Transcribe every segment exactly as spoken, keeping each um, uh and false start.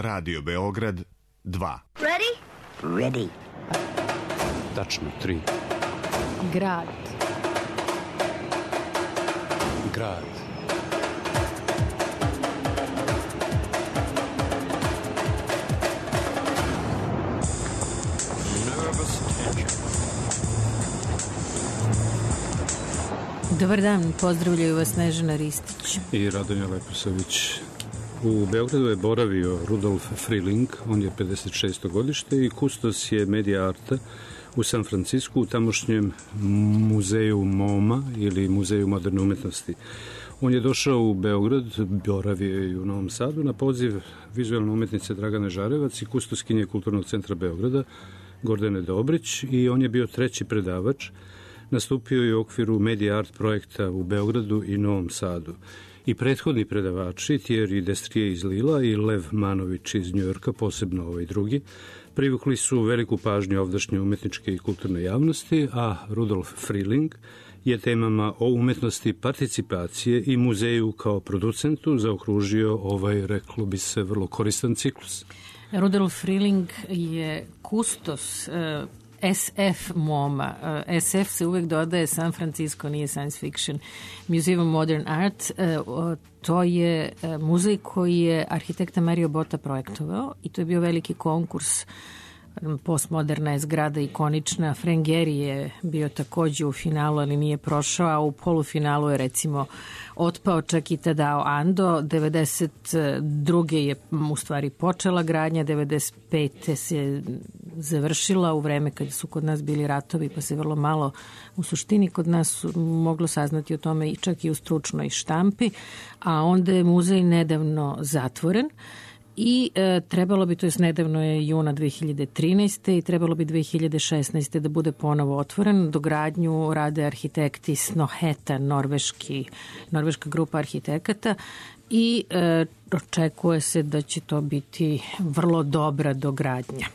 Radio Beograd dva. Ready? Ready. Tačno tri. Grad. Grad. Dobar dan, pozdravljaju vas Snežana Ristić i Radonja Leposavić. U Beogradu je boravio Rudolf Freeling, on je pedeset šesto godište i kustos je medija arta u San Francisku u tamošnjem muzeju MoMA ili muzeju moderne umetnosti. On je došao u Beograd, boravio je i u Novom Sadu na poziv vizualne umetnice Dragane Žarevac i kustoskinje Kulturnog centra Beograda Gordane Dobrić i on je bio treći predavač. Nastupio je u okviru Media Art projekta u Beogradu i Novom Sadu. I prethodni predavači, Thierry Destrier iz Lila i Lev Manović iz Njujorka, posebno ovaj drugi, privukli su veliku pažnju ovdašnje umetničke i kulturne javnosti, a Rudolf Freeling je temama o umetnosti participacije i muzeju kao producentu zaokružio ovaj, reklo bi se, vrlo koristan ciklus. Rudolf Freeling je kustos uh, S F MoMA. Uh, S F se uvek dodaje San Francisco, nije science fiction. Museum of Modern Art, uh, to je uh, muzej koji je arhitekta Mario Botta projektovao i to je bio veliki konkurs. Postmoderna je zgrada ikonična. Frank Gehry je bio takođe u finalu, ali nije prošao, a u polufinalu je recimo otpao čak i Tadao Ando. devedeset druge je u stvari počela gradnja, devedeset pete se završila u vreme kad su kod nas bili ratovi, pa se vrlo malo u suštini kod nas moglo saznati o tome i čak i u stručnoj štampi, a onda je muzej nedavno zatvoren. I e, trebalo bi, to je nedavno je juna dve hiljade trinaeste i trebalo bi dve hiljade šesnaeste da bude ponovo otvoren. Dogradnju rade arhitekti Snoheta, norveški, norveška grupa arhitekata i e, očekuje se da će to biti vrlo dobra dogradnja.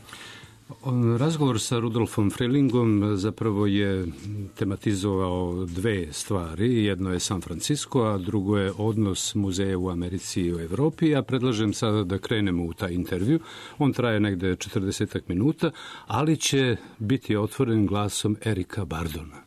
Razgovor sa Rudolfom Freelingom zapravo je tematizovao dve stvari. Jedno je San Francisco, a drugo je odnos muzeja u Americi i u Evropi. Ja predlažem sada da krenemo u taj intervju. On traje negde četrdesetak minuta, ali će biti otvoren glasom Erika Bardona.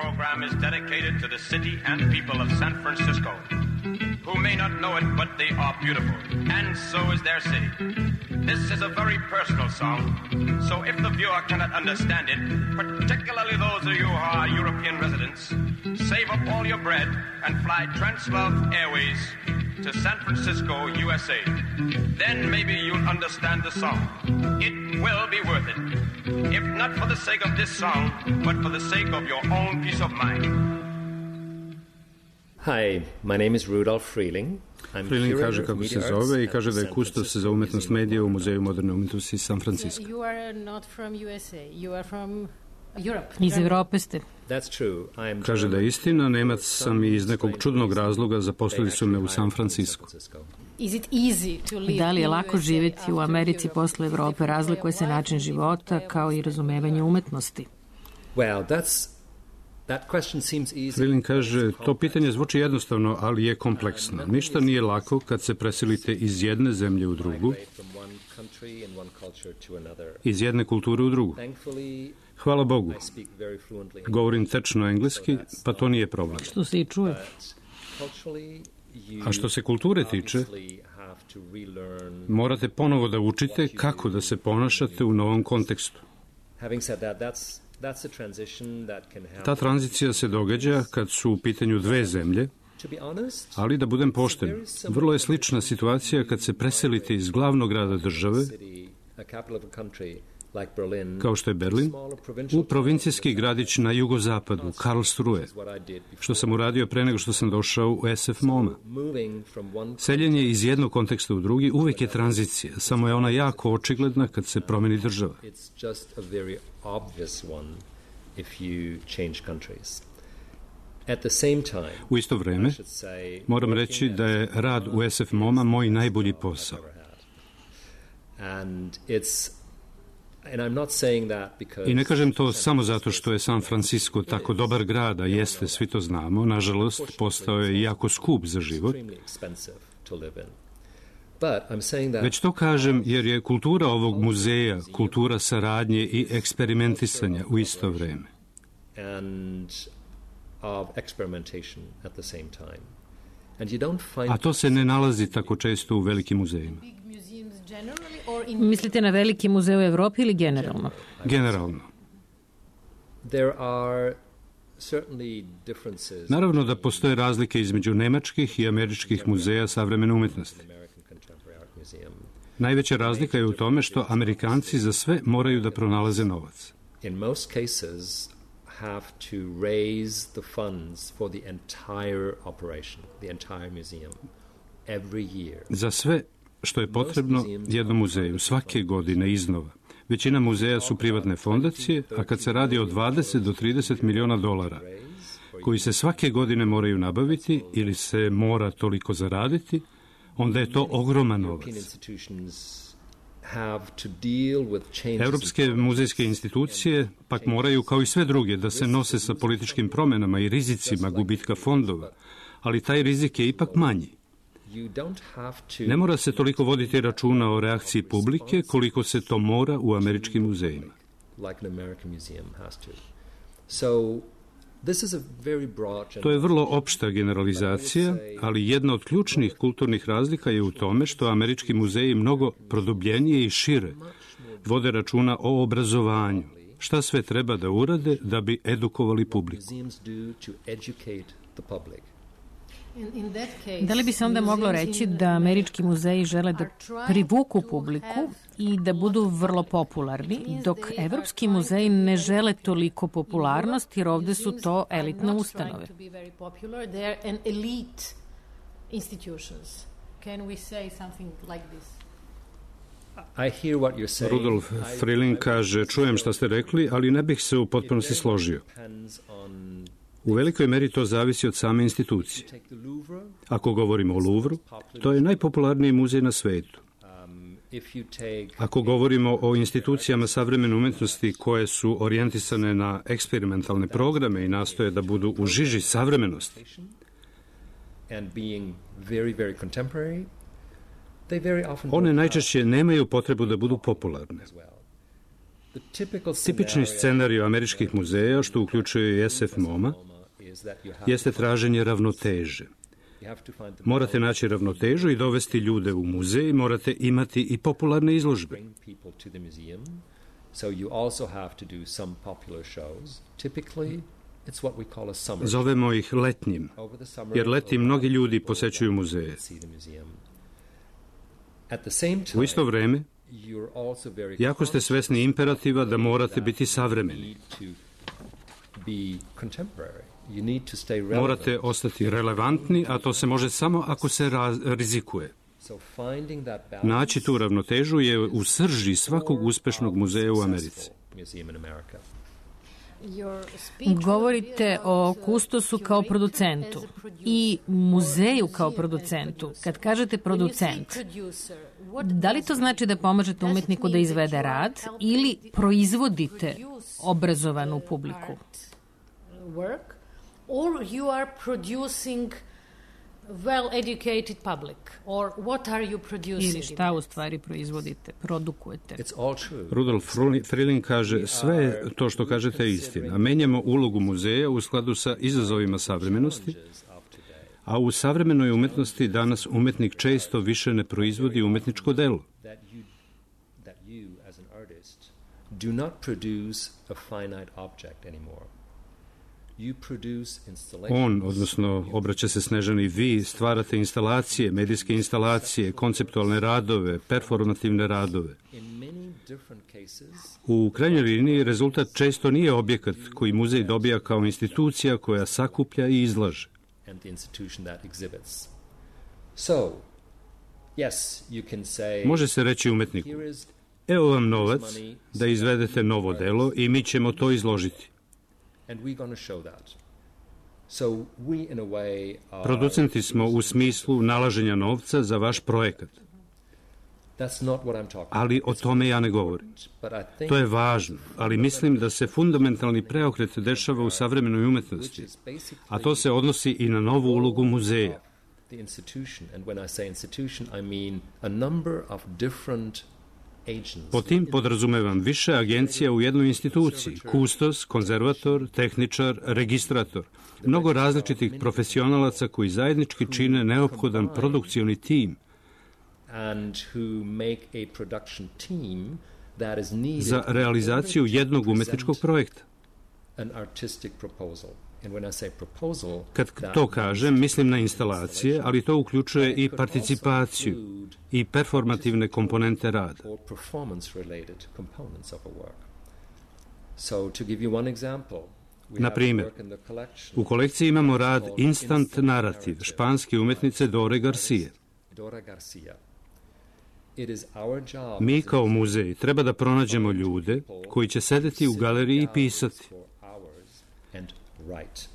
Program is dedicated to the city and people of San Francisco, who may not know it, but they are beautiful, and so is their city. This is a very personal song, so if the viewer cannot understand it, particularly those of you who are European residents, save up all your bread and fly Translove Airways to San Francisco, U S A. Then maybe you'll understand the song. It will be worth it. If not for the sake of this song, but for the sake of your own peace of mind. Hi, my name is Rudolf Freeling. Freeling kaže kako se zove i kaže da je kustos za umetnost medija u Muzeju moderne umetnosti San Francisco. You are not from U S A, you are from Europe. Iz Evrope ste. Kaže da je istina, Nemac sam i iz nekog čudnog razloga zaposlili su me u San Francisco. Da li je lako živjeti u Americi posle Evrope? Razlikuje se način života kao i razumevanje umetnosti. Freeling kaže, to pitanje zvuči jednostavno, ali je kompleksno. Ništa nije lako kad se preselite iz jedne zemlje u drugu, iz jedne kulture u drugu. Hvala Bogu. Govorim tečno engleski, pa to nije problem. Što se i čuje. A što se kulture tiče, morate ponovo da učite kako da se ponašate u novom kontekstu. Ta tranzicija se događa kad su u pitanju dve zemlje, ali da budem pošten, vrlo je slična situacija kad se preselite iz glavnog grada države, kao što je Berlin, u provincijski gradić na jugozapadu, Karlsruhe, što sam uradio pre nego što sam došao u S F MoMA. Seljenje iz jednog konteksta u drugi uvek je tranzicija, samo je ona jako očigledna kad se promeni država. U isto vreme, moram reći da je rad u S F MoMA moj najbolji posao. And I'm not saying that because I ne kažem to samo zato što je San Francisco tako dobar grad, a jeste, svi to znamo. Nažalost, postao je jako skup za život. Već to kažem jer je kultura ovog muzeja kultura saradnje i eksperimentisanja u isto vreme. A to se ne nalazi tako često u velikim muzejima. Mislite na veliki muzej u Evropi ili generalno? Generalno. Naravno da postoje razlike između nemačkih i američkih muzeja savremene umetnosti. Najveća razlika je u tome što Amerikanci za sve moraju da pronalaze novac. In most cases have to raise the funds for the entire operation, the entire museum, every year. Za sve što je potrebno jednom muzeju svake godine iznova. Većina muzeja su privatne fondacije, a kad se radi o dvadeset do trideset miliona dolara, koji se svake godine moraju nabaviti ili se mora toliko zaraditi, onda je to ogroman novac. Evropske muzejske institucije pak moraju, kao i sve druge, da se nose sa političkim promenama i rizicima gubitka fondova, ali taj rizik je ipak manji. Ne mora se toliko voditi računa o reakciji publike koliko se to mora u američkim muzejima. To je vrlo opšta generalizacija, ali jedna od ključnih kulturnih razlika je u tome što američki muzeji mnogo produbljenije i šire vode računa o obrazovanju. Šta sve treba da urade da bi edukovali publiku? Da li bi se onda moglo reći da američki muzeji žele da privuku publiku i da budu vrlo popularni, dok evropski muzeji ne žele toliko popularnost jer ovde su to elitne ustanove? Rudolf Frilling kaže, čujem šta ste rekli, ali ne bih se u potpunosti složio. U velikoj meri to zavisi od same institucije. Ako govorimo o Louvru, to je najpopularniji muzej na svetu. Ako govorimo o institucijama savremene umetnosti koje su orijentisane na eksperimentalne programe i nastoje da budu u žiži savremenosti, one najčešće nemaju potrebu da budu popularne. Tipični scenarij američkih muzeja, što uključuje i S F MoMA, jeste traženje ravnoteže. Morate naći ravnotežu i dovesti ljude u muzej, morate imati i popularne izložbe. Zovemo ih letnjim, jer leti mnogi ljudi posećuju muzeje. U isto vreme, jako ste svesni imperativa da morate biti savremeni. Morate ostati relevantni, a to se može samo ako se raz- rizikuje. Naći tu ravnotežu je u srži svakog uspešnog muzeja u Americi. Govorite o kustosu kao producentu i muzeju kao producentu. Kad kažete producent, da li to znači da pomažete umetniku da izvede rad ili proizvodite obrazovanu publiku? Or you are producing well-educated public, or what are you producing? Ili šta u stvari proizvodite, produkujete? Rudolf Frilling kaže, sve to što kažete je istina. Menjamo ulogu muzeja u skladu sa izazovima savremenosti, a u savremenoj umetnosti danas umetnik često više ne proizvodi umetničko delo. On, odnosno obraća se Snežani, vi stvarate instalacije, medijske instalacije, konceptualne radove, performativne radove. U krajnjoj liniji rezultat često nije objekat koji muzej dobija kao institucija koja sakuplja i izlaže. Može se reći umetniku, evo vam novac da izvedete novo delo i mi ćemo to izložiti. Producenti smo u smislu nalaženja novca za vaš projekat. That's not what I'm talking Ali o tome ja ne govorim. about. But I think To je važno, ali mislim da se fundamentalni preokret dešava u savremenoj umetnosti, a to se odnosi i na novu ulogu muzeja. the institution, and when I say institution, I mean a number of different agents. Po tim podrazumevam više agencija u jednoj instituciji, kustos, konzervator, tehničar, registrator, mnogo različitih profesionalaca koji zajednički čine neophodan produkcioni tim and who make a production team that is needed za realizaciju jednog umetničkog projekta. an artistic proposal. And when I say proposal, Kad that to kažem, mislim na instalacije, ali to uključuje i participaciju i performativne komponente rada. or performance-related components of a work. So, to give you one example, we Na have primjer, work in the collection U kolekciji imamo rad Instant Narrative španske umetnice Dore Garcia. Dora Garcia. It is our job Mi as a kao muzej treba da pronađemo ljude koji će sedeti u galeriji i pisati for hours and write.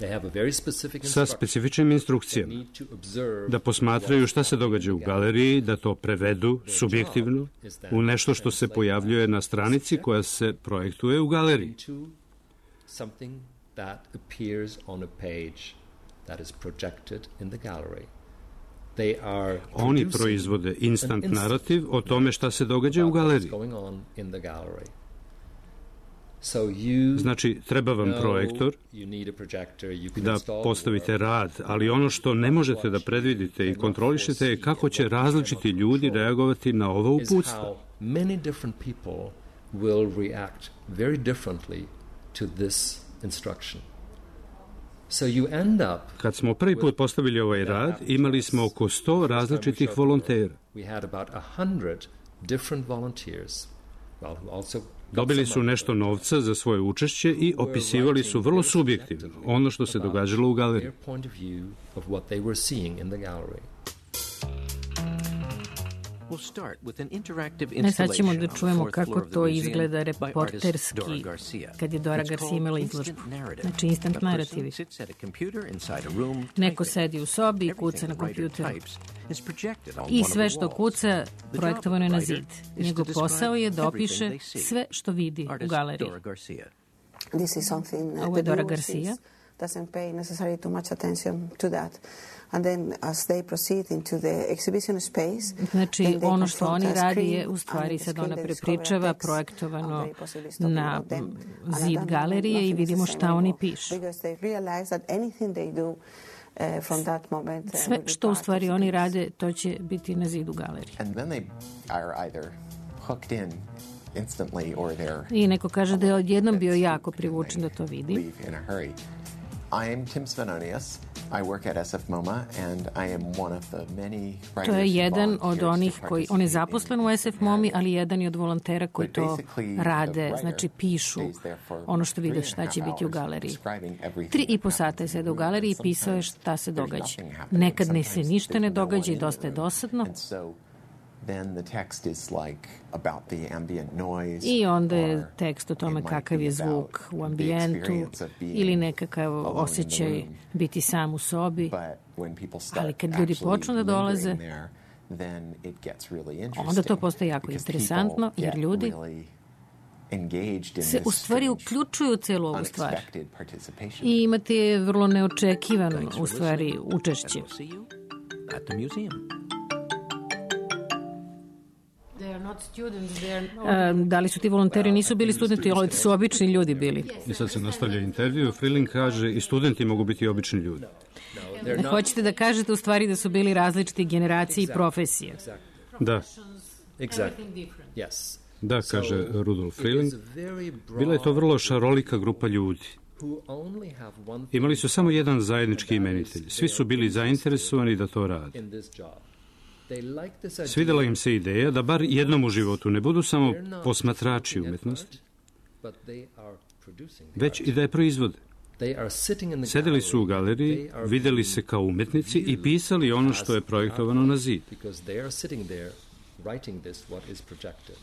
They have a very specific sa instruction. specifičnim They instrukcijama, need to observe da posmatraju šta se događa u galeriji, da to prevedu subjektivno u nešto što se pojavljuje na stranici koja se projektuje u galeriji. into something that appears on a page that is projected in the gallery. They are Oni producing proizvode an instant instant narativ o tome šta se događa u about what's galeriji. going on in the gallery. So you Znači, treba vam know projektor you need a projector, you can da install postavite the work. rad, ali ono što ne možete da predvidite i kontrolišete je kako će različiti ljudi reagovati na ovo Is uputstvo. how many different people will react very differently to this instruction. So you end up Kad smo prvi put postavili ovaj rad, imali smo oko sto različitih volontera. we had about a hundred different volunteers. Well, who also got Dobili some su money. nešto novca za svoje učešće i opisivali su vrlo subjektivno ono što se događalo u galeriji. Their point of view of what they were seeing in the gallery. We'll start with an interactive Ne, sad ćemo da installation on the čujemo fourth kako floor of the to museum izgleda by artist reporterski Dora Garcia. kad je Dora It's Garcia called imala instant izložbu. narrative. Znači instant A person narativi. sits at a computer inside a room Neko typing. sedi u sobi i Everything kuca na the writer kompjuteru. types is projected on I one of sve the što walls. kuca The job projektovano je of na the writer zid. is to Njegov describe posao je da everything opiše they see. sve što vidi u Artist galeriji. Dora Garcia. This is something uh, Ovo je the Dora viewers Garcia. is- doesn't pay necessarily too much attention to that. And then as they proceed into the exhibition space, Znači, then they ono što confront oni a radi screen, je u stvari and the sad screen ona they prepričava discover a text, projektovano and very possibly stopping na about them. And at zid that galerije moment, i nothing is vidimo the same šta oni anymore, pišu. because they realize that anything they do uh, from that moment uh, Sve will be što u part of stvari the oni piece. rade, to će biti na zidu galerije. And then they are either hooked in instantly or they're I neko kaže da je odjednom bio jako and privučen da they to vidi. leave in a hurry. I am Tim Svenonius. I work at S F MoMA and I am one of the many writers To je who jedan od volunteers to onih koji, on je participate zaposlen in u S F MoMI, ali jedan je od volontera koji But to basically, the rade, writer znači pišu stays there for ono što vide three and a šta će half biti u hours galeriji. describing everything Tri i that po sata je happens sada u in the galeriji i room. pisao je Sometimes šta se there's događa. nothing happening. Nekad ne se Sometimes ništa ne there's no događa i one in dosta the je room. dosadno. And so then the text is like about the ambient noise. I onda je or tekst o it tome might kakav be je about zvuk u the ambijentu experience of being ili nekakav alone in the osjećaj room. biti sam u sobi. But when people start Ali kad ljudi actually počnu da dolaze, lingering there, then it gets really interesting. onda to postaje jako because interesantno, people jer get ljudi really engaged in se this u stvari strange, uključuju u celu ovu stvar. unexpected participation. I imate vrlo neočekivano, Thanks for u stvari, listening, and učešće. we'll see you at the museum. They are not students, they are E, da li su ti volonteri nisu bili studenti, ali su obični ljudi bili. I sad se nastavlja intervju. Freeling kaže i studenti mogu biti obični ljudi. They're not Hoćete da kažete u stvari da su bili različiti generacije i profesije. Da, exactly. everything different. Yes. da, kaže Rudolf Freeling. It is a very broad Bila je to vrlo šarolika grupa ljudi. who only have one Imali su samo jedan zajednički imenitelj. Svi su bili zainteresovani da to rade. in this job. They like this idea. Svidela im se ideja da bar jednom u životu ne budu samo They're not posmatrači looking at umetnosti, art, but they are producing the već art. i da je proizvode. They are sitting in the Sedeli su u gallery. galeriji, They are videli being se kao umetnici i pisali ono što je projektovano na zid. because they are sitting there writing this what is projected.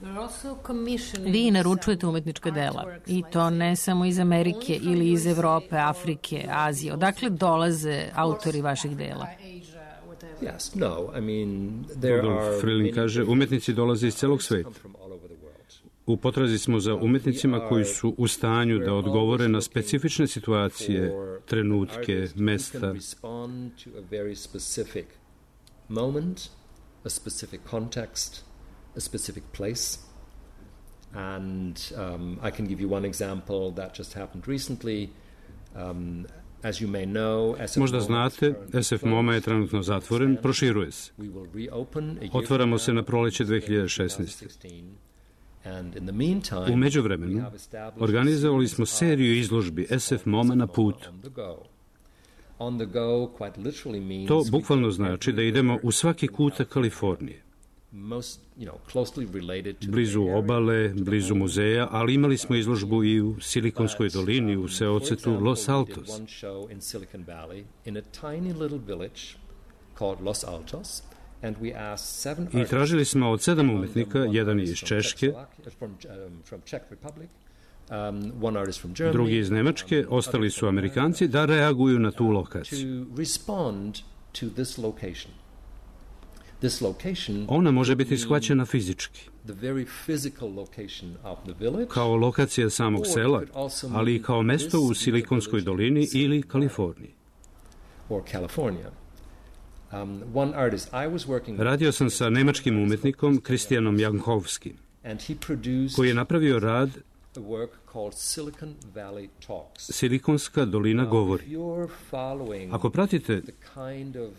We're also commissioning Vi naručujete some umetnička dela artworks, i like to ne samo iz Amerike only from ili iz U S A Evrope, or Afrike, Azije. Odakle dolaze autori vaših dela? Asia, whatever. Yes, no, I mean, there Rudolf are Freeling many kaže, different umetnici dolaze iz celog sveta. come from all over the world. U potrazi smo za umetnicima koji su u stanju da odgovore na specifične situacije, trenutke, mesta. Can respond to a very specific moment, a specific context, a specific place. And um, I can give you one example that just happened recently. Um, as you may know, S F Možda MoMA is znate, currently S F MoMA je trenutno zatvoren, proširuje se. We will reopen a year Otvaramo se from na now, proleće dve hiljade šesnaeste. And in the meantime, U međuvremenu we have established organizovali a smo series seriju izložbi S F MoMA na putu. on the go. On the go quite literally means To we bukvalno go znači da everywhere idemo u svaki in kutak Kalifornije. most, you know, closely related to the Blizu Bay Area, obale, to the blizu home muzeja, ali imali smo izložbu i u Silikonskoj dolini, u seocetu Los Altos. For example, we did one show in Silicon Valley in a tiny little village called Los Altos, and we asked seven I tražili smo od sedam umetnika, jedan je iz Češke, drugi iz Nemačke, ostali su Amerikanci, da reaguju na tu lokaciju. to respond to this location. This location Ona može biti shvaćena fizički, the very physical location of the village, kao lokacija samog sela, ali i kao mesto u Silikonskoj dolini ili Kaliforniji. or California. Um, one artist I was working with, Radio sam sa nemačkim umetnikom Kristijanom Jankovskim, and he produced koji je napravio rad a work called Silicon Valley Talks. Silikonska dolina Now, govori. if you're following Ako pratite the kind of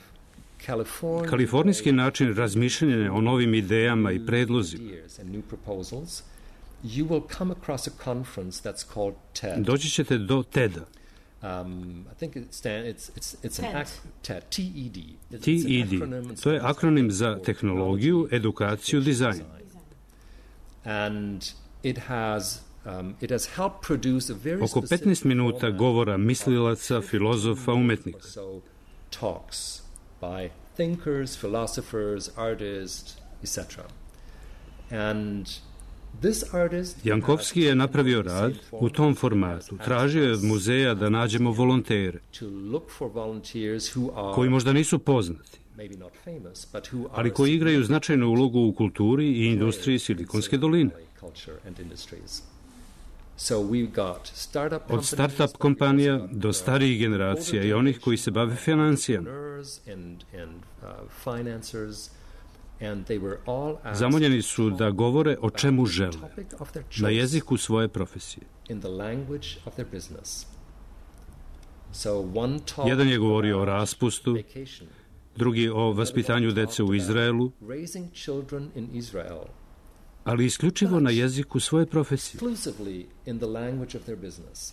California kalifornijski način razmišljanja o novim idejama i predlozima, ideas and new proposals, you will come across a conference that's called TED. doći ćete do TED-a. Um, I think it stand, it's it's it's an TED. ac- TED, T E D. It's T E an D. acronym, To je akronim za for tehnologiju, edukaciju, dizajn. And it has um, it has helped produce a very Oko specific petnaest minuta format govora mislilaca, filozofa, umetnika. So talks by thinkers, philosophers, artists, et cetera. And this artist Jankovski je napravio rad u tom formatu. Tražio je od muzeja da nađemo volontere, to look for volunteers who are koji možda nisu poznati, maybe not famous, but who are ali koji igraju značajnu ulogu u kulturi i industriji Silikonske doline. culture and industries. So we've got startup Od start-up kompanija do starijih generacija i onih koji se bave financijama. and and uh, financiers, and they were all asked Zamoljeni su da govore o čemu žele, topic of their na choice jeziku svoje profesije. in the language of their business. So one talk Jedan je govorio o about raspustu, vacation, drugi o vaspitanju dece u Izraelu, raising children in Israel, ali isključivo na jeziku svoje profesije. exclusively in the language of their business.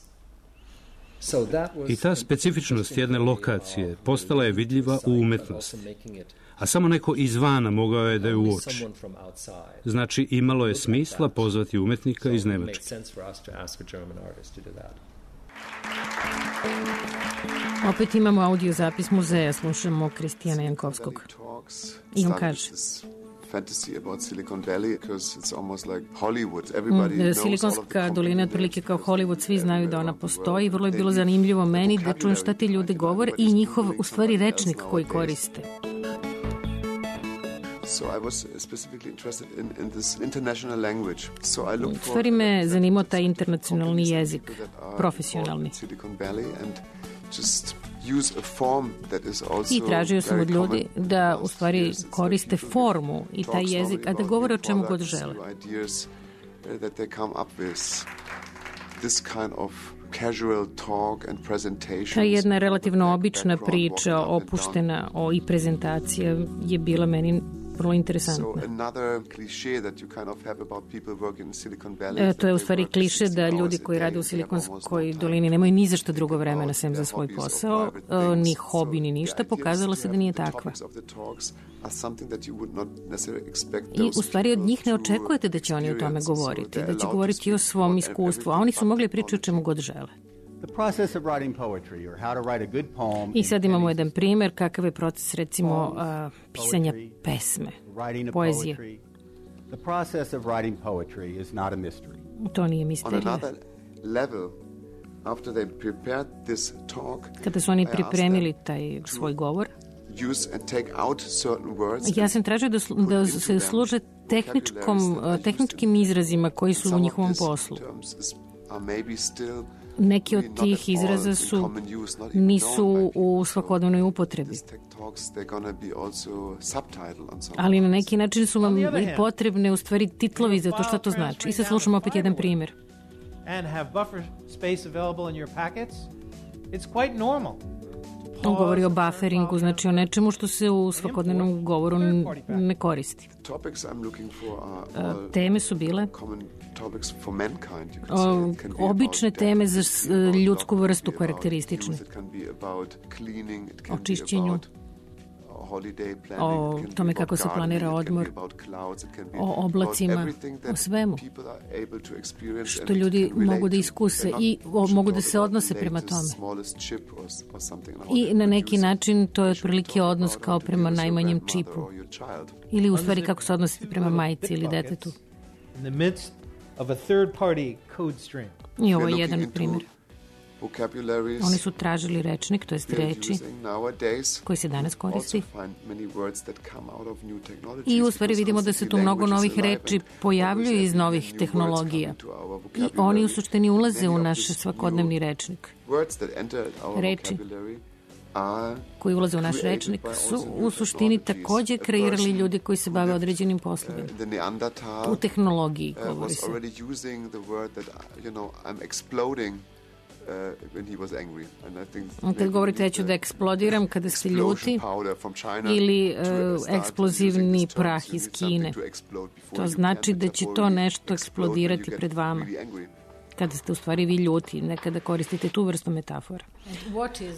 So that was I ta specifičnost jedne lokacije postala je vidljiva u umetnosti, also making it a samo neko izvana mogao je da je uoči. someone from outside. Znači, imalo je smisla pozvati umetnika iz It makes Nemačke. sense for us to ask a German artist to do that. Opet imamo audio zapis muzeja, slušamo Kristijana Jankovskog. I on kaže: fantasy about Silicon Valley because it's almost like Hollywood. Everybody knows all of the Silikonska dolina je otprilike kao Hollywood, svi znaju da ona postoji. Vrlo je bilo zanimljivo meni da čujem šta ti ljudi govore i njihov, u stvari, rečnik koji koriste. So I was specifically interested in, in this international language. So I looked U for stvari me zanimao taj internacionalni jezik, that are profesionalni. in Silicon Valley and just use a form that is also I tražio sam very od ljudi common da in u most stvari years. It's koriste like formu i taj talks jezik, only a da about govore o new čemu god products, žele. new ideas, uh, that they come up with this kind of casual talk and presentations. Ta jedna relativno Back- obična background, priča, walking up and down. opuštena o, i prezentacija je bila meni vrlo So interesantna. another cliché that you kind of have about people working in Silicon Valley. E, is to je u that they stvari work kliše da sixty ljudi hours a koji day, rade u they have almost Silikonskoj no time dolini to nemaju ni za što think drugo vremena about sem za their svoj hobbies or posao, private e, things. ni So hobi ni the ništa, idea is pokazalo to se da have nije the takva. topics of the talks are something that you would not necessarily expect I those u stvari od people njih ne to očekujete da će oni o tome experience. So govoriti, they're da će allowed to govoriti o speak svom about iskustvu, a everything oni su but mogli pričati o čemu god žele. The process of writing poetry or how to write a good poem. I sad in imamo any jedan primjer kakav je proces, recimo, a, pisanja pesme, writing a poezije. poetry. The process of writing poetry is not a mystery. To nije On misterija. another level, after they prepared this talk, Kada su oni I asked pripremili them taj to svoj govor, use and take out certain words. Ja sam tražio da, da se služe tehničkom, tehničkim izrazima koji su u njihovom poslu. Neki od tih izraza su nisu u svakodnevnoj upotrebi. Ali na neki način su vam i potrebne u stvari titlovi za to šta to znači. I sad slušamo opet jedan primjer. On govori o bufferingu, znači o nečemu što se u svakodnevnom govoru ne koristi. Teme su bile o, obične teme za ljudsku vrstu karakteristične. O čišćenju, o tome kako se planira odmor, o oblacima, o svemu što ljudi mogu da iskuse i o, mogu da se odnose prema tome. I na neki način to je otprilike odnos kao prema najmanjem čipu. Ili u stvari kako se odnosite prema majici ili detetu. I ovo je jedan primjer. Oni su tražili rečnik, to jest reči koji se danas koristi. I u stvari vidimo da se tu mnogo novih reči pojavljuju iz novih tehnologija. I oni u suštini ulaze u naš svakodnevni rečnik. Reči koji ulaze u naš rečnik su u suštini također kreirali ljudi koji se bave određenim poslovima. U tehnologiji govori se. Kad govorite, ja ću da eksplodiram kada ste ljuti, ili uh, eksplozivni prah iz Kine. To znači da će to nešto eksplodirati pred vama. Kada ste u stvari vi ljuti, nekada koristite tu vrstu metafora.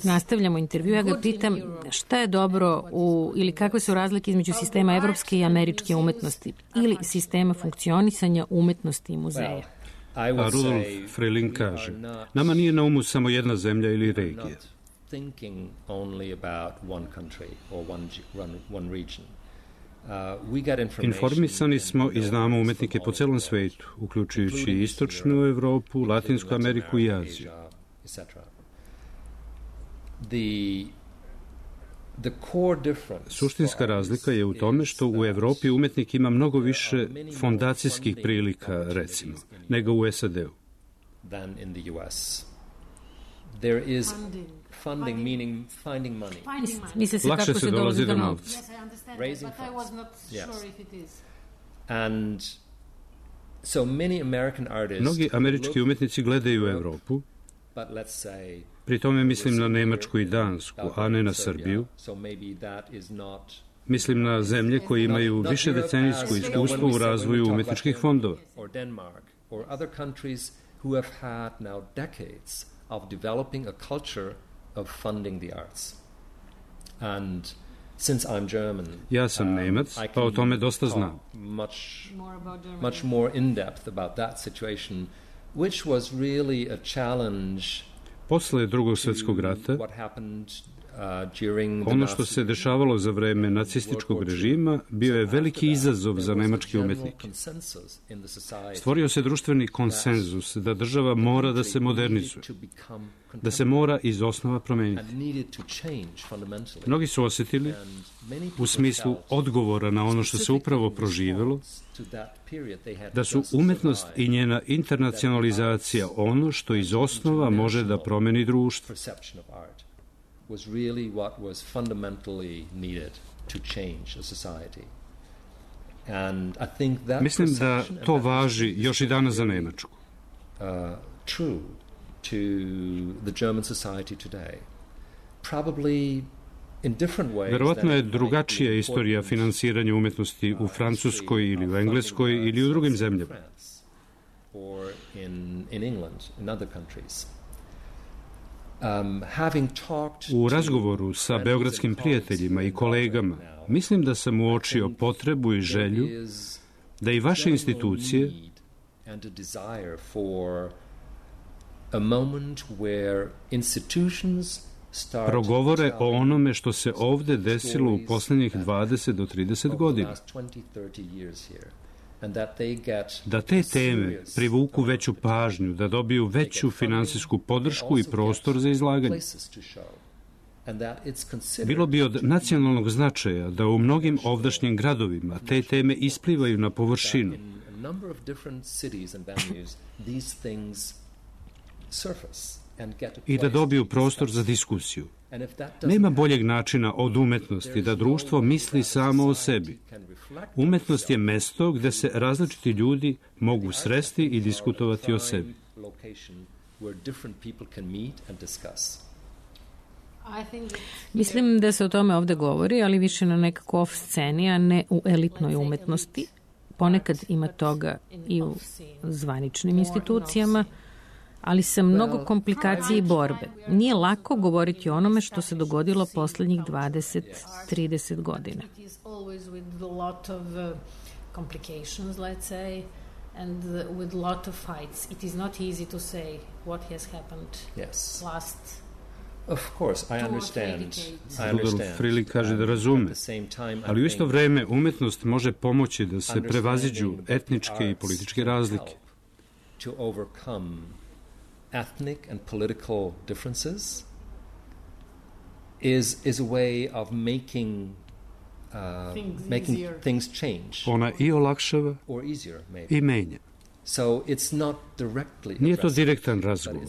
Nastavljamo intervju, ja ga pitam šta je dobro u, ili kakve su razlike između sistema evropske i američke umetnosti ili sistema funkcionisanja umetnosti i muzeja. A Rudolf Freiling kaže, nama nije na umu samo jedna zemlja ili regija. Informisani smo i znamo umetnike po celom svetu, uključujući Istočnu Evropu, Latinsku Ameriku i Aziju. Suštinska razlika je u tome što u Evropi umetnik ima mnogo više fondacijskih prilika, recimo, nego u S A D-u. Lakše se dolazi do novca. Mnogi američki umetnici gledaju u Evropu, pri tome mislim na Nemačku i Dansku, a ne na Srbiju. Mislim na zemlje koje imaju više decenijsko iskustvo u razvoju umetničkih fondova. Ja sam Nemac, pa o tome dosta znam. Much more in depth about that situation, which was really a challenge. Posle Drugog svjetskog rata, ono što se dešavalo za vreme nacističkog režima bio je veliki izazov za nemačke umetnike. Stvorio se društveni konsenzus da država mora da se modernizuje, da se mora iz osnova promeniti. Mnogi su osjetili, u smislu odgovora na ono što se upravo proživelo, da su umetnost i njena internacionalizacija ono što iz osnova može da promeni društvo. Was really what was fundamentally needed to change a society. And I think that Mislim da to važi još i danas za Nemačku. Uh, true to the German society today. Probably in different ways. Verovatno je drugačija istorija finansiranja umetnosti u Francuskoj ili u Engleskoj ili u drugim zemljama. Or in in England, in other countries. Um, having talked U razgovoru sa beogradskim prijateljima i kolegama, mislim da sam uočio potrebu i želju da i vaše institucije progovore o onome što se ovde desilo u posljednjih dvadeset do trideset godina. Da te teme privuku veću pažnju, da dobiju veću finansijsku podršku i prostor za izlaganje. Bilo bi od nacionalnog značaja da u mnogim ovdašnjim gradovima te teme isplivaju na površinu. I da dobiju prostor za diskusiju. Nema boljeg načina od umetnosti da društvo misli samo o sebi. Umetnost je mesto gde se različiti ljudi mogu sresti i diskutovati o sebi. Mislim da se o tome ovde govori, ali više na nekako off sceni, a ne u elitnoj umetnosti. Ponekad ima toga i u zvaničnim institucijama, ali sa mnogo komplikacije i borbe. Nije lako govoriti o onome što se dogodilo poslednjih dvadeset do trideset godina. And with a lot of fights, it is not easy to say what has happened yes. last. Of course, I understand. I Rudolf Freeling kaže da razume, ali u isto vreme umetnost može pomoći da se prevaziđu etničke i političke razlike. To overcome ethnic and political differences is is a way of making Uh, things making easier. things change. Ona i olakšava or easier, maybe. i menja. So it's not directly Nije to direktan razgovor,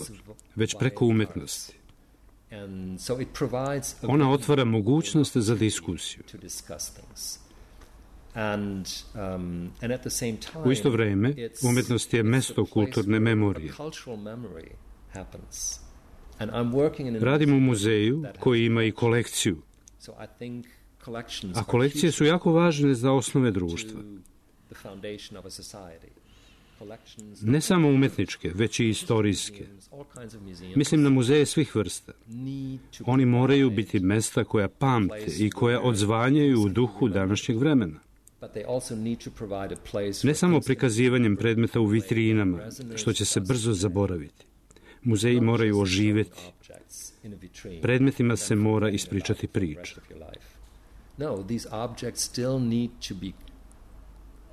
već preko umetnosti. And so it provides a Ona otvara mogućnost za diskusiju. to discuss things. And, um, and at the same time, U isto vreme, umetnost je mesto kulturne memorije. Radim u muzeju koji ima i kolekciju. A kolekcije su jako važne za osnove društva. Ne samo umetničke, već i istorijske. Mislim na muzeje svih vrsta. Oni moraju biti mesta koja pamte i koja odzvanjaju u duhu današnjeg vremena. Ne samo prikazivanjem predmeta u vitrinama, što će se brzo zaboraviti. Muzeji moraju oživeti. Predmetima se mora ispričati priča. No, these objects still need to be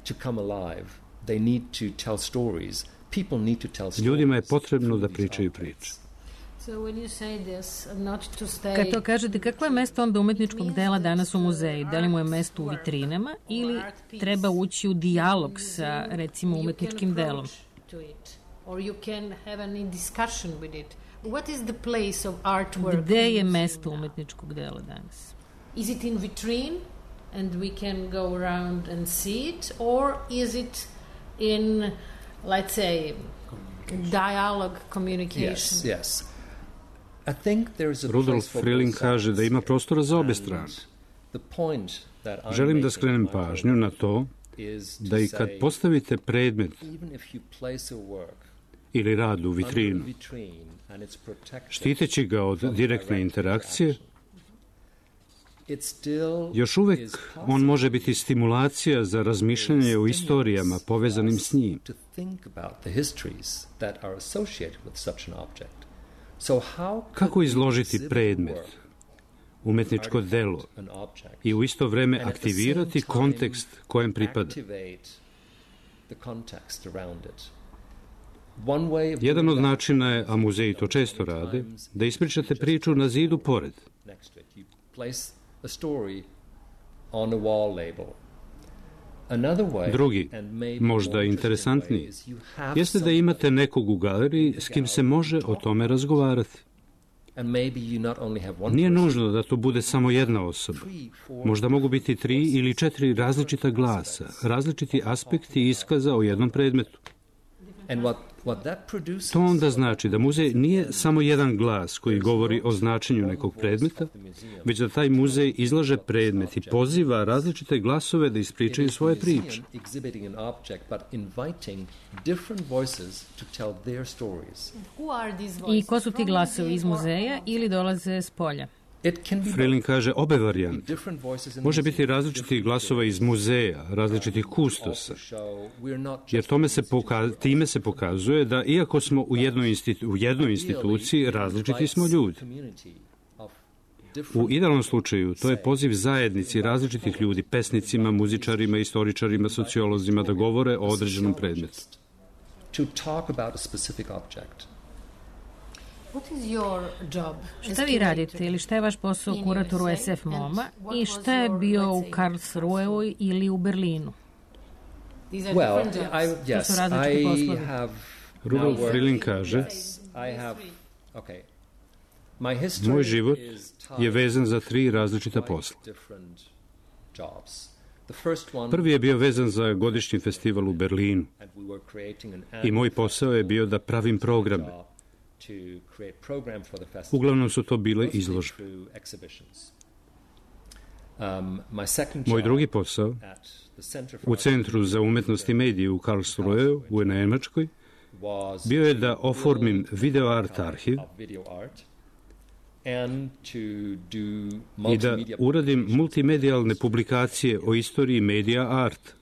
to come alive. They need to tell stories. People need to tell stories. Ljudima je potrebno da pričaju priče. So when you say this, not to stay... Kad to kažete, kakvo je mesto onda umetničkog dela danas u muzeju? Da li mu je mesto u vitrinama ili treba ući u dijalog sa, recimo, umetničkim delom? Or you can have any discussion with it. What is the place of artwork? Gde je mesto umetničkog dela danas? Is it in vitrine and we can go around and see it, or is it in, let's say, dialogue, communication? Yes, yes. I think there's a Rudolf Freeling kaže da ima prostora za obe strane. Želim da skrenem pažnju na to da i kad postavite predmet ili rad u vitrinu, štiteći ga od direktne interakcije, još uvek on može biti stimulacija za razmišljanje o istorijama povezanim s njim. Kako izložiti predmet, umetničko delo i u isto vreme aktivirati kontekst kojem pripada? Jedan od načina je, a muzeji to često rade, da ispričate priču na zidu pored. Drugi, možda interesantniji, jeste da imate nekog u galeriji s kim se može o tome razgovarati. Nije nužno da to bude samo jedna osoba. Možda mogu biti tri ili četiri različita glasa, različiti aspekti iskaza o jednom predmetu. To onda znači da muzej nije samo jedan glas koji govori o značenju nekog predmeta, već da taj muzej izlaže predmet i poziva različite glasove da ispričaju svoje priče. I ko su ti glasovi, iz muzeja ili dolaze s polja? Freeling kaže obe varijante. Može biti različiti glasova iz muzeja, različitih kustosa, jer tome se poka- time se pokazuje da iako smo u jednoj, institu- u jednoj instituciji, različiti smo ljudi. U idealnom slučaju to je poziv zajednici različitih ljudi, pesnicima, muzičarima, istoričarima, sociolozima da govore o određenom predmetu. What is your job? Šta vi radite ili šta je vaš posao u kuratoru S F MoMA i šta je bio u Karlsruheu ili u Berlinu? Well, I, yes, I have Rudolf Frilling kaže, yes, I have, okay. My history moj život is je vezan za tri različita posla. different jobs. The first one, Prvi je bio vezan za godišnji festival u Berlinu and we were creating an i moj posao je bio da pravim programe. to create program for the festival. Uglavnom su to bile mostly izložbe. through exhibitions. Um, my second Moj job drugi posao at the Center for u Centru za umetnost i medije u Karlsruheu u Nemačkoj was bio je da oformim video art arhiv of video art and to do i da multimedia uradim multimedijalne publikacije o istoriji medija art.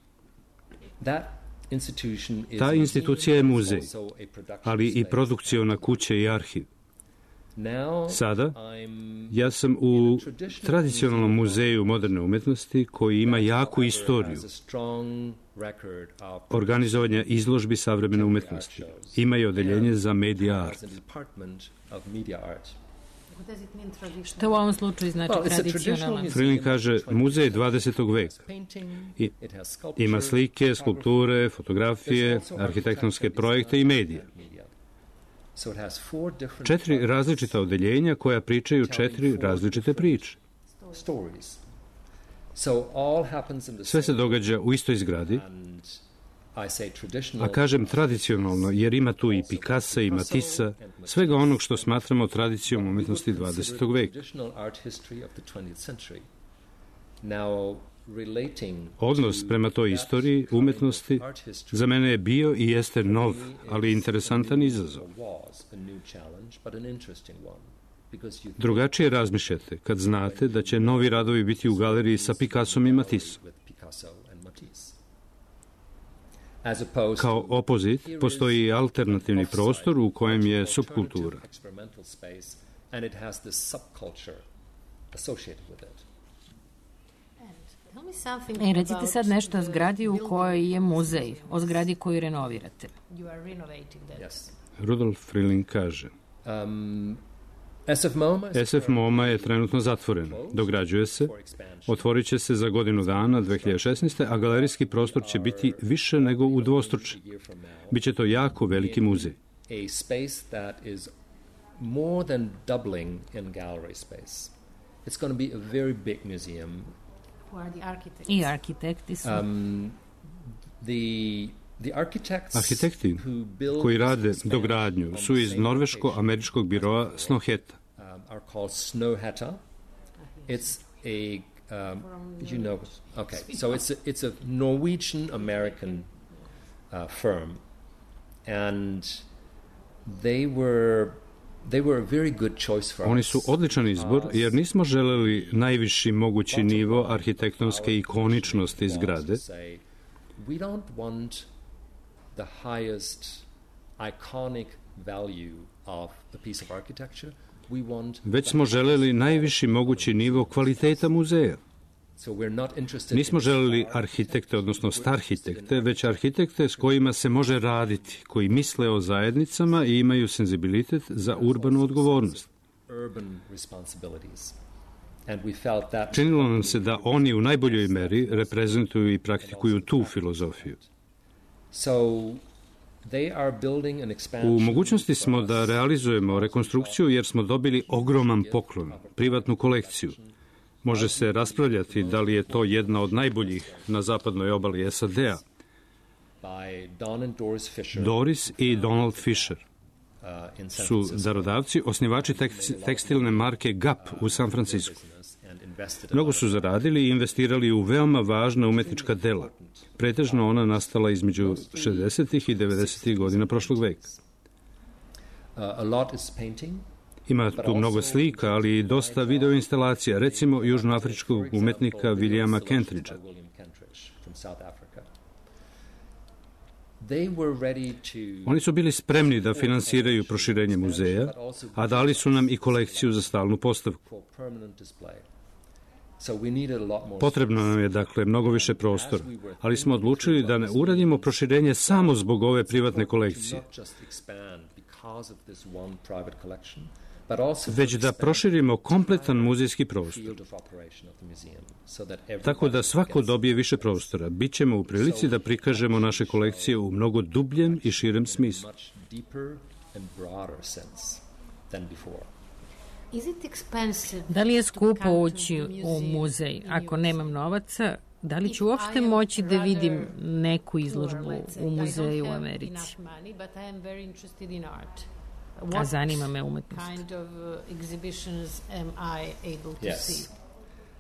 That institution is Ta institucija je muzej, also a production ali i space. produkciona kuća i arhiv. Now Sada, I'm ja sam u tradicionalnom muzeju moderne umetnosti koji ima jaku istoriju has a strong record of organizovanja izložbi savremene umetnosti. Ima i odeljenje za medija art. as a department of media art. Što u ovom slučaju znači Well, it's a tradicionalan? traditional Frilling kaže, muzej dvadesetog veka. I, It has sculpture, ima slike, skulpture, fotografije, arhitektonske projekte i medije. So it has four different Četiri različita odeljenja koja pričaju četiri različite priče. stories. So all happens in the Sve se same događa u istoj zgradi, and I say traditional. a kažem tradicionalno jer ima tu i Picassa i Matissa, svega onog što smatramo tradicijom umetnosti dvadesetog veka. Traditional art history of the twentieth century. Now relating Odnos prema toj istoriji umetnosti za mene je bio i jeste nov, ali interesantan izazov. was a new challenge, but an interesting one. Because you Drugačije razmišljate kad znate da će novi radovi biti u galeriji sa Picassom i Matissom. with Picasso and Matisse. As opposed Kao to opozit postoji i alternativni prostor u kojem je subkultura. experimental space, and it has this subculture associated with it. Tell me something E, recite about sad nešto o the zgradi u building kojoj je muzej, o zgradi koju renovirate. You are renovating that. Yes. Rudolf Frilling kaže, Um, S F MoMA is S F MoMA je trenutno zatvoren, dograđuje se, otvorit će se za godinu dana, dve hiljade šesnaeste. a galerijski prostor će biti više nego udvostručen. Biće to jako veliki muzej. a space that is more than doubling in gallery space. It's going to be a very big museum. Who are the architects? I arhitekti su. Um, the the architects Arhitekti who build koji rade this expansion dogradnju on su the iz same norveško-američkog biroa Snoheta. um, are called Snøhetta. It's a um, you know okay, so it's a, it's a Norwegian American uh, firm, and they were they were a very good choice for Oni us. su odličan izbor jer nismo želeli najviši mogući nivo arhitektonske ikoničnosti zgrade, Say, we don't want the highest iconic value of a piece of architecture. We want već smo želeli najviši mogući nivo kvaliteta muzeja. so we're not interested Nismo in želeli arhitekte, odnosno starhitekte, već arhitekte s kojima se može raditi, koji misle o zajednicama i imaju senzibilitet za urbanu odgovornost. urban responsibilities. And we felt that Činilo nam se da oni u najboljoj meri reprezentuju i praktikuju tu filozofiju. so they are building an expansion. U mogućnosti smo da realizujemo rekonstrukciju jer smo dobili ogroman poklon, privatnu kolekciju. Može se raspravljati da li je to jedna od najboljih na zapadnoj obali S A D-a. by Don and Doris Fisher Doris i Donald Fisher uh, in San su Francisco. darodavci, osnivači tekst- tekstilne marke Gap u San Francisco. And invested a Mnogo lot su of zaradili i investirali u veoma važna umetnička dela. Pretežno ona nastala između šezdesetih i devedesetih godina prošlog veka. Uh, a lot is painting. Ima tu mnogo slika, ali i dosta video instalacija, recimo južnoafričkog umetnika Williama Kentridgea. William Kentridge from South Africa. They were ready to Oni su bili spremni da finansiraju proširenje muzeja, a dali su nam i kolekciju za stalnu postavku. for permanent display. So we needed a lot more Potrebno nam je, dakle, mnogo više prostora, ali smo odlučili da ne uradimo proširenje samo zbog ove privatne kolekcije, not just expand već da proširimo kompletan muzejski prostor. Tako da svako dobije više prostora. Bićemo u prilici da prikažemo naše kolekcije u mnogo dubljem i širem smislu. Da li je skupo ući u muzej? Ako nemam novaca, da li ću uopšte moći da vidim neku izložbu u muzeju u Americi? A zanima me umetnost.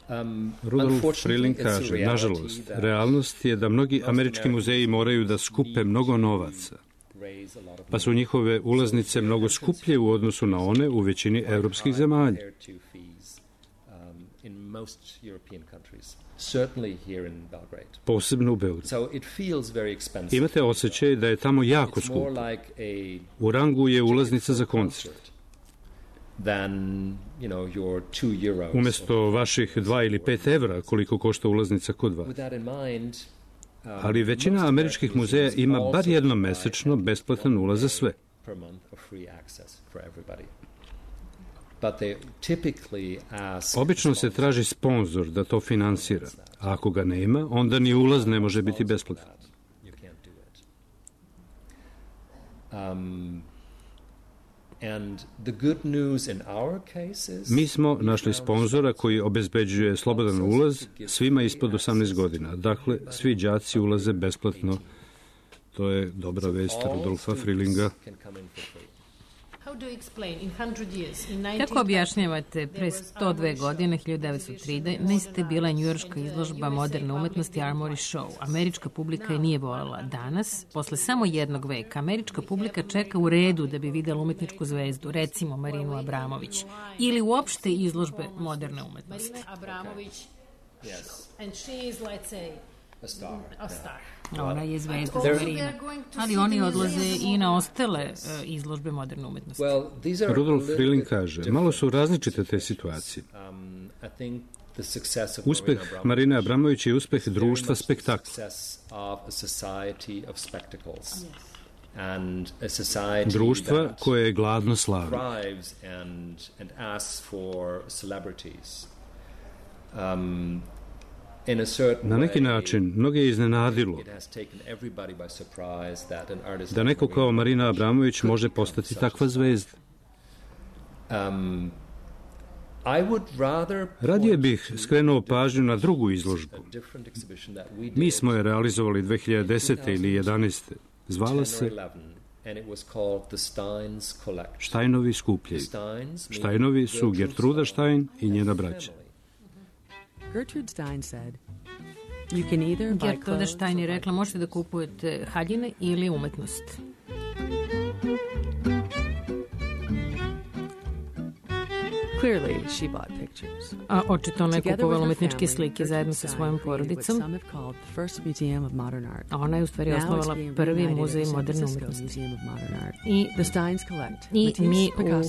Um, Rudolf Freeling kaže, nažalost, realnost je da mnogi američki muzeji moraju da skupe mnogo novaca, pa su njihove ulaznice mnogo skuplje u odnosu na one u većini evropskih zemalja. Posebno u Beogradu. Imate osjećaj da je tamo jako skupo. U rangu je ulaznica za koncert. Umjesto vaših dva ili pet evra koliko košta ulaznica kod vas. Ali većina američkih muzeja ima bar jednom mesečno besplatan ulaz za sve. Obično se traži sponzor da to finansira, a ako ga nema, onda ni ulaz ne može biti besplatan. Mi smo našli sponzora koji obezbeđuje slobodan ulaz svima ispod osamnaest godina. Dakle, svi đaci ulaze besplatno. To je dobra vest Rudolfa Freelinga. Kako objašnjavate, pre sto dve godine, hiljadu devetsto trinaeste. bila njujorška izložba moderne umetnosti Armory Show. Američka publika je nije voljela. Danas, posle samo jednog veka, američka publika čeka u redu da bi videla umetničku zvezdu, recimo Marinu Abramović, ili uopšte izložbe moderne umetnosti. Ona je zvezda za Marina. Ali oni odlaze i na ostale uh, izložbe moderne umetnosti. Rudolf Freeling kaže, malo su različite te situacije. Uspeh Marine Abramović je uspeh društva spektakla. Društva koje je gladno slavi. Na neki način, mnoge je iznenadilo da neko kao Marina Abramović može postati takva zvezda. Radije bih skrenuo pažnju na drugu izložbu. Mi smo je realizovali dve hiljade desete ili jedanaeste. Zvala se Steinovi skupljevi. Steinovi su Gertruda Stein i njena braća. Gertrude Stein said, you can either buy Gertruda Stein je rekla, možete da kupujete haljine ili umetnost. Clearly, she bought pictures. A očito ona je kupovala umetničke slike zajedno sa svojom porodicom. A ona je u stvari osnovala prvi muzej moderne umetnosti. I, i mi u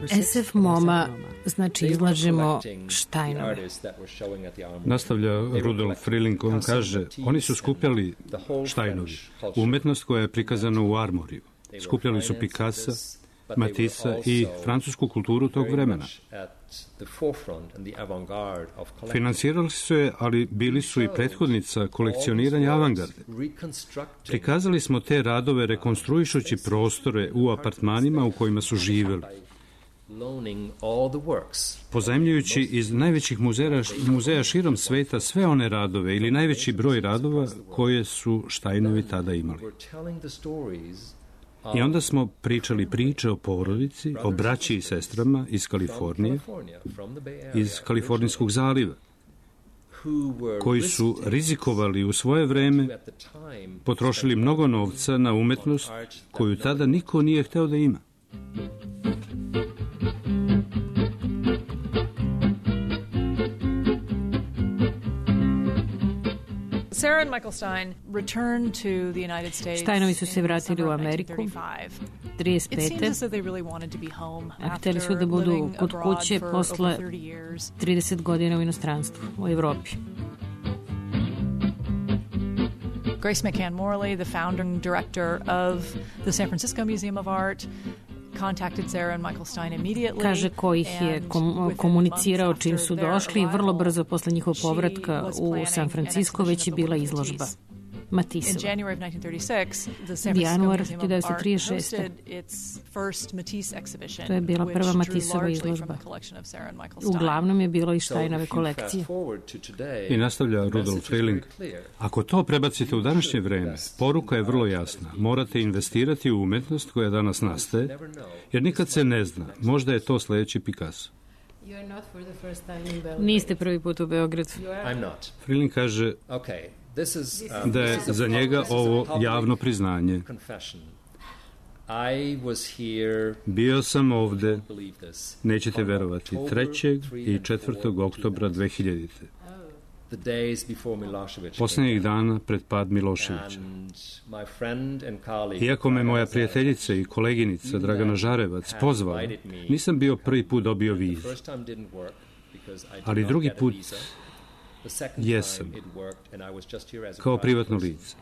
S F MoMA, znači izlažemo Steinove. Nastavlja Rudolf Freeling, on kaže, oni su skupljali Steinovi, umetnost koja je prikazana u Armoriju. Skupljali su Picassa, Matissa i francusku kulturu tog vremena. Finansirali su je, ali bili su i prethodnica kolekcioniranja avangarde. Prikazali smo te radove rekonstruišući prostore u apartmanima u kojima su živjeli, pozajmljujući iz najvećih muzeja, muzeja širom sveta sve one radove ili najveći broj radova koje su Steinovi tada imali. I onda smo pričali priče o porodici, o braći i sestrama iz Kalifornije, iz Kalifornijskog zaliva, koji su rizikovali u svoje vreme, potrošili mnogo novca na umetnost koju tada niko nije hteo da ima. Sarah and Michael Stein returned to the United States. Steinovi su se vratili u Ameriku trideset pete. A hteli su da budu kod kuće posle trideset godina u inostranstvu, u Evropi. Grace McCann Morley, the founding director of the San Francisco Museum of Art, contacted Sarah and Michael Stein immediately. Kaže ko ih je kom, komunicirao čim su došli i vrlo brzo posle njihovog povratka u San Francisco već je bila izložba Matisova. In January of nineteen thirty-six, the San Januar Francisco Museum of Art hiljadu devetsto trideset šeste. hosted its first Matisse exhibition, To je bila prva which drew Matisova largely from izložba. the collection of Sarah and Michael Stein. Uglavnom je bilo iz So Steinove if you kolekcije. fast forward to today, I nastavlja the Rudolf message is very Freiling. clear. Ako to prebacite u današnje vreme, poruka je vrlo jasna. Morate investirati u umetnost koja danas nastaje, jer nikad se ne zna. Možda je to sljedeći Picasso. Niste prvi put u Beogradu. I'm not. Freiling kaže Okay, this is, um, da je this is a za public- njega this is a ovo public javno priznanje. confession. I was here, Bio sam ovde, believe this, nećete on verovati, October trećeg third i and četvrtog fourth, oktobra dve hiljadite. the days before Milošević Posljednjih came dana pred pad Miloševića. and my friend and colleague, Iako me moja Dragana prijateljica i koleginica Dragana Žarevac had pozvala, invited me, nisam bio prvi put dobio the vizu. first time didn't work because I did Ali not drugi get a put visa. The second jesam, time it worked and I was just here as a kao private privatno person. lice.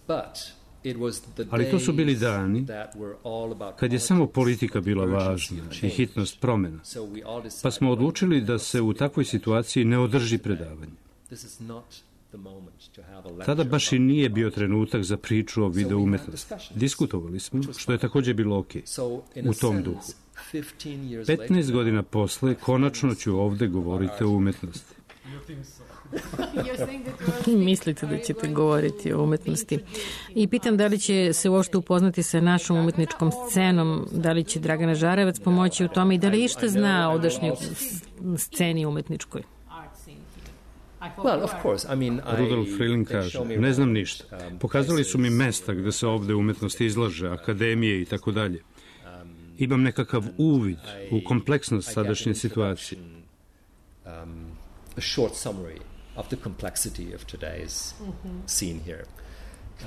But it was the Ali to su bili days dani that were all about kad je samo politics, politika bila urgency važna of i change. hitnost promjena. So we all decided Pa smo odlučili da se u takvoj situaciji ne održi predavanje. this is not the moment to have a lecture Tada baš i about nije bio trenutak za priču o video umetnosti. Diskutovali smo, što je također bilo ok, So, in a u tom sense, duhu. fifteen years petnaest later, godina posle, konačno ću ovde govoriti o umetnosti. Mislite da ćete govoriti o umetnosti. I pitam da li će se uopšte upoznati sa našom umetničkom scenom, da li će Dragana Žarevac pomoći u tome i da li išta zna o odašnjoj sceni umetničkoj. Well, of course, I mean, I, Rudolf Freiling they kaže, show me ne znam around, ništa. um, Pokazali su mi places, mesta gde se ovde umetnost izlaže, akademije i tako dalje. Imam nekakav uvid u kompleksnost I get sadašnje an situacije. introduction, um, a short summary of the complexity of today's scene here.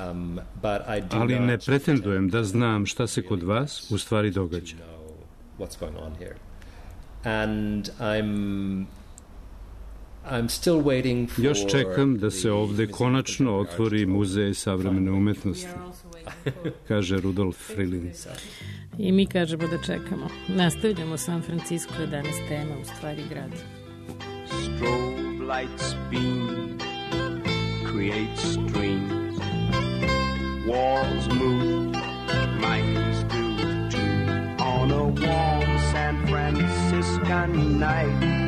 Um, but I do Ali ne not pretendujem da znam šta se kod vas u stvari događa. know what's going on here. And I'm I'm still waiting for Još čekam da se the ovde Museum of konačno Contemporary Art otvori to muzej savremene finally umetnosti, kaže Rudolf Freiling. I mi kažemo da čekamo. Nastavljamo San Francisco, je danas tema, u stvari grad. Strobe lights beam, create streams. Walls move, minds do too. On a warm San Franciscan night.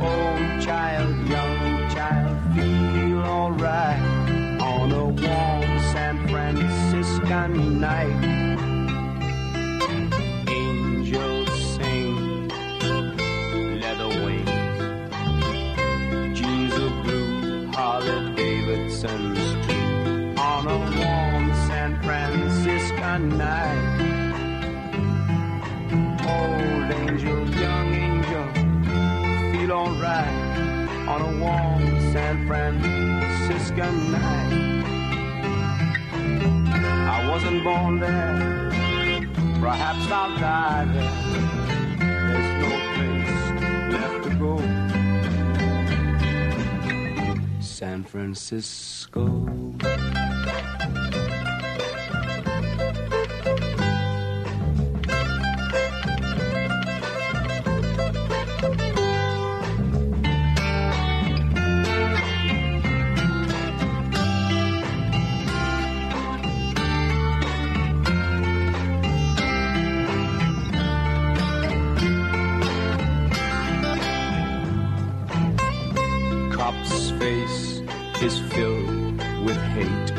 Old child, young child, feel alright. On a warm San Franciscan night. Angels sing, leather wings, jeans of blue, Harley Davidson's too. On a warm San Franciscan night. Old angel, young angel, feel alright. On a warm San Franciscan night. I wasn't born there, perhaps I'll die there. There's no place left to go. San Francisco. Cop's face is filled with hate.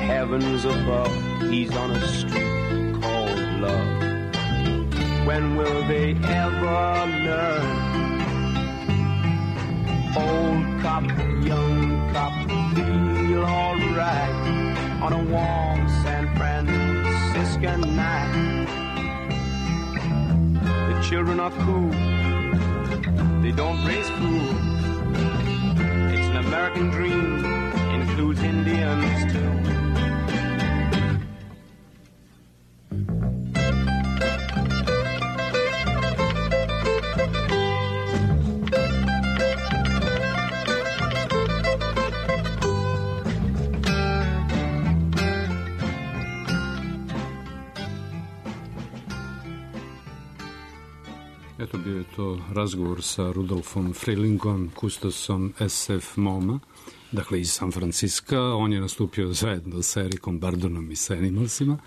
Heavens above, he's on a street called love. When will they ever learn? Old cop, young cop, feel alright on a warm San Franciscan night. The children are cool, they don't raise food. It's an American dream, includes Indians too. Eto, bio je to razgovor sa Rudolfom Freelingom, kustosom S F MoMA, dakle iz San Franciska. On je nastupio zajedno sa Erikom Bardonom i sa Animalsima.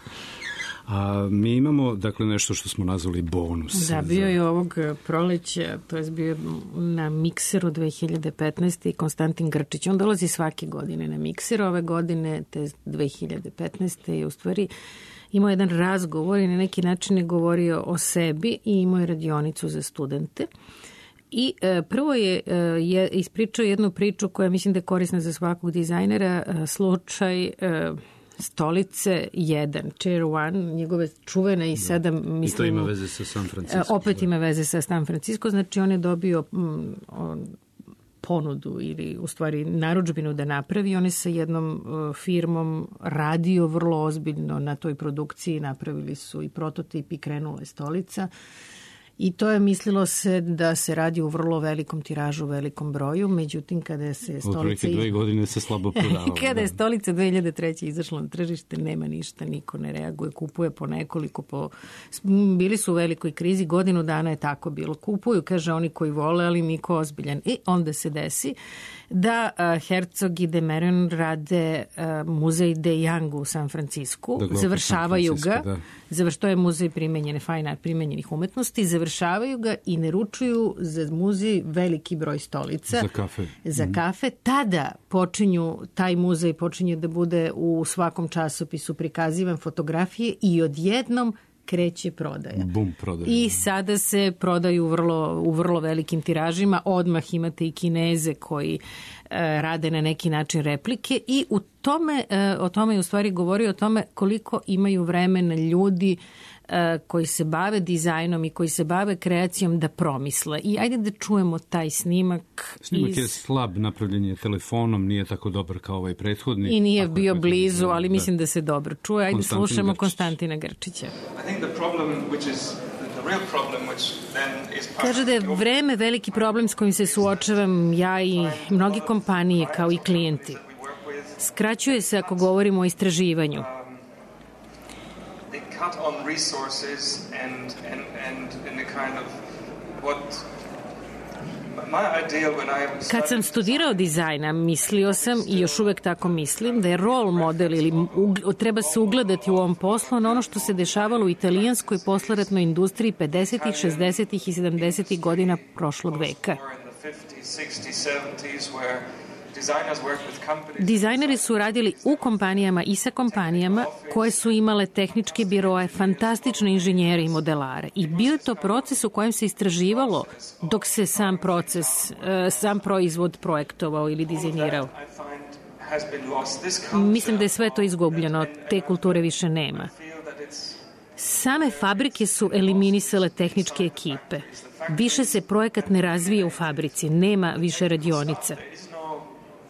A mi imamo, dakle, nešto što smo nazvali bonus. Da, bio je ovog proleća, to je bio na Mikseru dve hiljade petnaeste. i Konstantin Grčić. On dolazi svake godine na Mikser. Ove godine, te dve hiljade petnaeste. je u stvari imao jedan razgovor i na neki način je govorio o sebi i imao je radionicu za studente. I e, prvo je, e, je ispričao jednu priču koja mislim da je korisna za svakog dizajnera, e, slučaj e, stolice jedan, Chair one, njegove čuvene i sada mislim... I to ima veze sa San Francisco. Opet ima veze sa San Francisco, znači on je dobio m, on, ponudu ili u stvari narudžbinu da napravi. On je sa jednom uh, firmom radio vrlo ozbiljno na toj produkciji, napravili su i prototip i krenula je stolica. I to je mislilo se da se radi u vrlo velikom tiražu, velikom broju, međutim kada se stolica... Otprilike dve godine se slabo prodavalo. Kada je stolica dve hiljade treće. izašla na tržište, nema ništa, niko ne reaguje, kupuje po nekoliko, po... bili su u velikoj krizi, godinu dana je tako bilo. Kupuju, kaže, oni koji vole, ali niko ozbiljan. I onda se desi da uh, Herzog i de Meuron rade uh, muzej de Young u San Francisku, dakle, završavaju San ga, završ, to je muzej primenjene, fajna, primenjenih umetnosti, završavaju ga i naručuju za muzej veliki broj stolica. Za kafe. Za kafe. Tada počinju, taj muzej počinje da bude u svakom časopisu prikazivan fotografije i odjednom kreće prodaja. Bum, prodaja. I sada se prodaju vrlo, u vrlo velikim tiražima. Odmah imate i Kineze koji e, rade na neki način replike i u tome, e, o tome je u stvari govorio o tome koliko imaju vremena ljudi e, koji se bave dizajnom i koji se bave kreacijom da promisle. I ajde da čujemo taj snimak. Snimak iz... je slab, napravljen je telefonom, nije tako dobar kao ovaj prethodni. I nije bio blizu, ali mislim da se dobro čuje. Ajde slušamo Grčić. Konstantina Grčića. Kaže da je vreme veliki problem s kojim se suočavam ja i mnogi kompanije kao i klijenti. Skraćuje se ako govorimo o istraživanju. Kad sam studirao dizajna, mislio sam i još uvek tako mislim da je role model ili treba se ugledati u ovom poslu na ono što se dešavalo u italijanskoj posleratnoj industriji pedesetih, šezdesetih i sedamdesetih godina prošlog veka. Dizajneri su radili u kompanijama i sa kompanijama koje su imale tehničke biroe, fantastične inženjere i modelare. I bio je to proces u kojem se istraživalo dok se sam proces, sam proizvod projektovao ili dizajnirao. Mislim da je sve to izgubljeno, te kulture više nema. Same fabrike su eliminisale tehničke ekipe. Više se projekat ne razvija u fabrici, nema više radionica.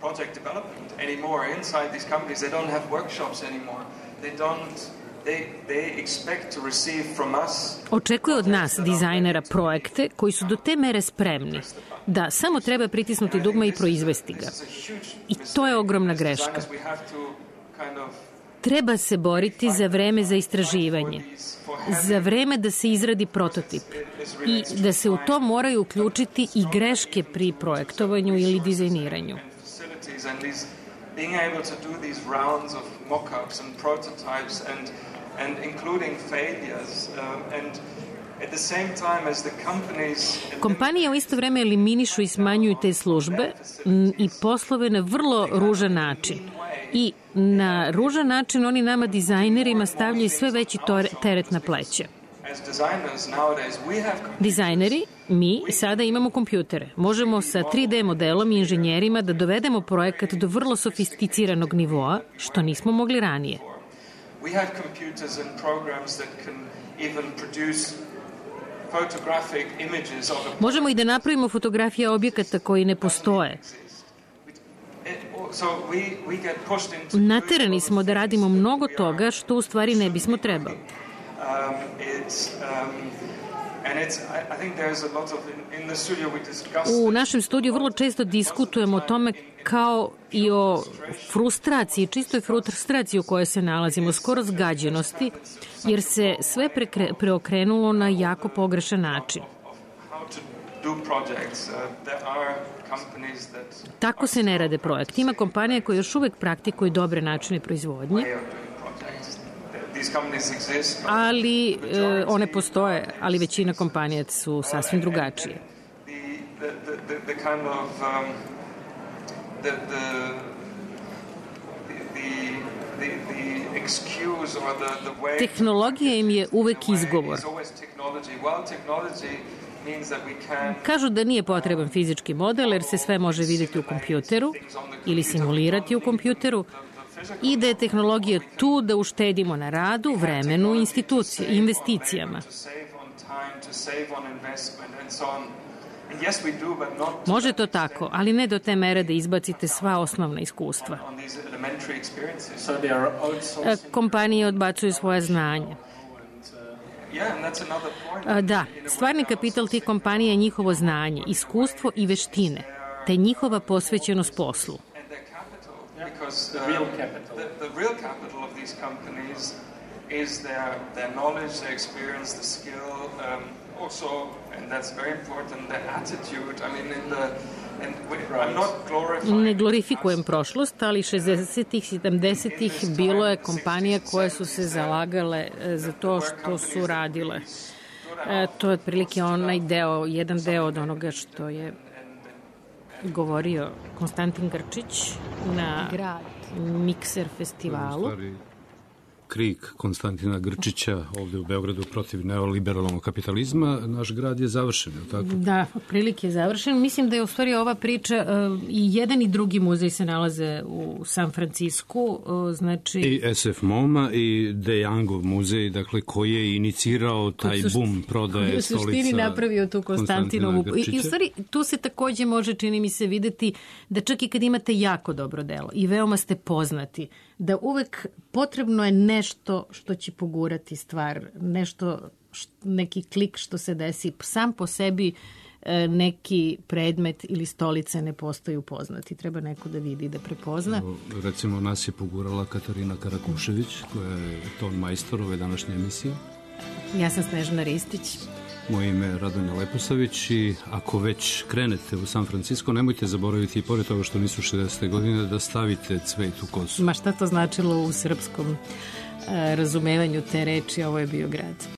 Project development anymore inside these companies. They don't have workshops anymore. They don't. They they expect to receive from us. Očekuje od nas dizajnera projekte koji su do te mere spremni da samo treba pritisnuti dugme i proizvesti ga. I to je ogromna greška. Treba se boriti za vreme za istraživanje, za vreme da se izradi prototip i da se u to moraju uključiti i greške pri projektovanju ili dizajniranju. And these, being able to do these rounds of mock-ups and prototypes and and including failures um, and at the same time as the companies. Kompanije u isto vreme eliminišu i smanjuju te službe i poslove na vrlo ružan način. I na ružan način oni nama dizajnerima stavljaju sve veći teret na pleće. Dizajneri, mi sada imamo kompjutere. Možemo sa tri D modelom i inženjerima da dovedemo projekat do vrlo sofisticiranog nivoa, što nismo mogli ranije. Možemo i da napravimo fotografije objekata koji ne postoje. Naterani smo da radimo mnogo toga što u stvari ne bismo trebali. Um, it's, um, and it's, I, I think there's a lot of, in, in the studio we discuss... U našem studiju vrlo često diskutujemo o tome kao i o frustraciji, čistoj frustraciji u kojoj se nalazimo, skoro zgađenosti, jer se sve prekre, preokrenulo na jako pogrešan način. projects. Uh, there are companies that Tako se ne rade projekti. Ima kompanije koje još uvek praktikuju dobre načine proizvodnje, way of doing projects. These companies exist, but ali e, one postoje, ali većina kompanija su sasvim drugačije. the, the, the, the kind of um, the, the, the, the, the excuse or the, the way Tehnologija im je uvek izgovor. is always technology. Well, technology means that we can Kažu da nije potreban fizički model jer se sve može vidjeti u kompjuteru ili simulirati u kompjuteru i da je tehnologija tu da uštedimo na radu, vremenu, institucije, investicijama. to save on time, to save on investment and so on. And yes, we do, but not Može to tako, ali ne do te mere da izbacite sva osnovna iskustva. on these elementary experiences. So they are E, outsourcing. Kompanije odbacuju svoje znanje. Yeah, and that's another point. E, Da, stvarni kapital tih kompanija je njihovo znanje, iskustvo i veštine, te njihova posvećenost poslu. And their capital, because uh, Real capital. The, the real capital of these companies is their their knowledge, their experience, the skill, um, also, and that's very important, their attitude. I mean, in the and we, I'm not glorifying. Ne glorifikujem prošlost, ali šezdesetih, sedamdesetih bilo je kompanija koje su se zalagale e, za to što su radile. E, to je otprilike onaj deo, jedan deo od onoga što je govorio Konstantin Grčić na Mikser festivalu. Krik Konstantina Grčića ovdje u Beogradu protiv neoliberalnog kapitalizma, naš grad je završen, je li tako? Da, otprilike je završen. Mislim da je u stvari ova priča, uh, i jedan i drugi muzej se nalaze u San Francisku, uh, znači... I S F MoMA i De Youngov muzej, dakle, koji je inicirao taj sušt... bum prodaje stolica u suštini napravio tu Konstantinovu. I, I u stvari tu se takođe može, čini mi se, videti da čak i kad imate jako dobro delo i veoma ste poznati, da uvek potrebno je nešto što će pogurati stvar, nešto, neki klik što se desi. Sam po sebi neki predmet ili stolice ne postaju poznati. Treba neko da vidi, da prepozna. Recimo, nas je pogurala Katarina Karakušević, koja je ton majstor ove današnje emisije. Ja sam Snežana Ristić. Moje ime je Radonja Leposavić i ako već krenete u San Francisco, nemojte zaboraviti i pored toga što nisu šezdesete godine da stavite cvet u kosu. Ma šta to značilo u srpskom uh, razumevanju te reči, ovo je bio grad.